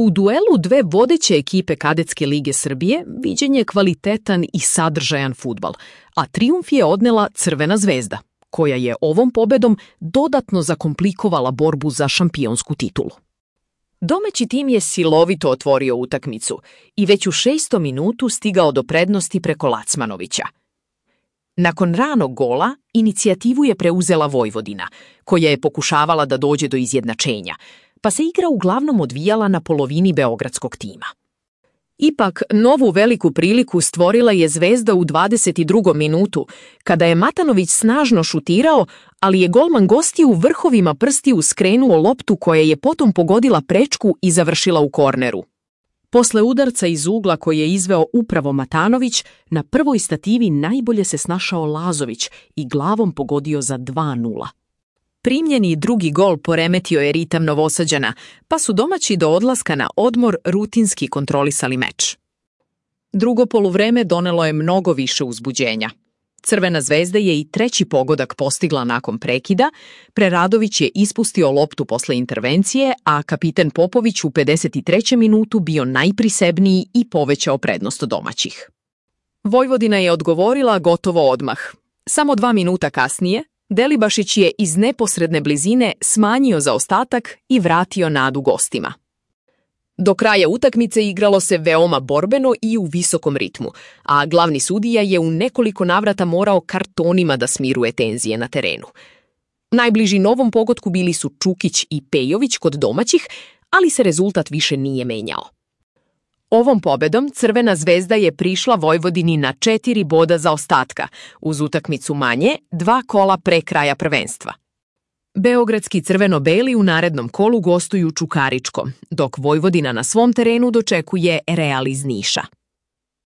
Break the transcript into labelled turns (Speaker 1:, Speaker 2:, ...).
Speaker 1: U duelu dve vodeće ekipe Kadetske lige Srbije viđen je kvalitetan i sadržajan fudbal, a trijumf je odnela Crvena zvezda, koja je ovom pobedom dodatno zakomplikovala borbu za šampionsku titulu. Domaći tim je silovito otvorio utakmicu i već u 6. minutu stigao do prednosti preko Lacmanovića. Nakon ranog gola, inicijativu je preuzela Vojvodina, koja je pokušavala da dođe do izjednačenja, pa se igra uglavnom odvijala na polovini beogradskog tima. Ipak, novu veliku priliku stvorila je Zvezda u 22. minutu, kada je Matanović snažno šutirao, ali je golman gostiju vrhovima prstiju skrenuo loptu koja je potom pogodila prečku i završila u korneru. Posle udarca iz ugla koji je izveo upravo Matanović, na prvoj stativi najbolje se snašao Lazović i glavom pogodio za 2:0. Primljeni drugi gol poremetio je ritam Novosađana, pa su domaći do odlaska na odmor rutinski kontrolisali meč. Drugo poluvreme donelo je mnogo više uzbuđenja. Crvena zvezda je i treći pogodak postigla nakon prekida, Preradović je ispustio loptu posle intervencije, a kapiten Popović u 53. minutu bio najprisebniji i povećao prednost domaćih. Vojvodina je odgovorila gotovo odmah. Samo 2 minuta kasnije, Delibašić je iz neposredne blizine smanjio zaostatak i vratio nadu gostima. Do kraja utakmice igralo se veoma borbeno i u visokom ritmu, a glavni sudija je u nekoliko navrata morao kartonima da smiruje tenzije na terenu. Najbliži novom pogodku bili su Čukić i Pejović kod domaćih, ali se rezultat više nije menjao. Ovom pobedom Crvena zvezda je prišla Vojvodini na 4 boda zaostatka, uz utakmicu manje 2 kola pre kraja prvenstva. Beogradski crveno-beli u narednom kolu gostuju Čukaričko, dok Vojvodina na svom terenu dočekuje Real iz Niša.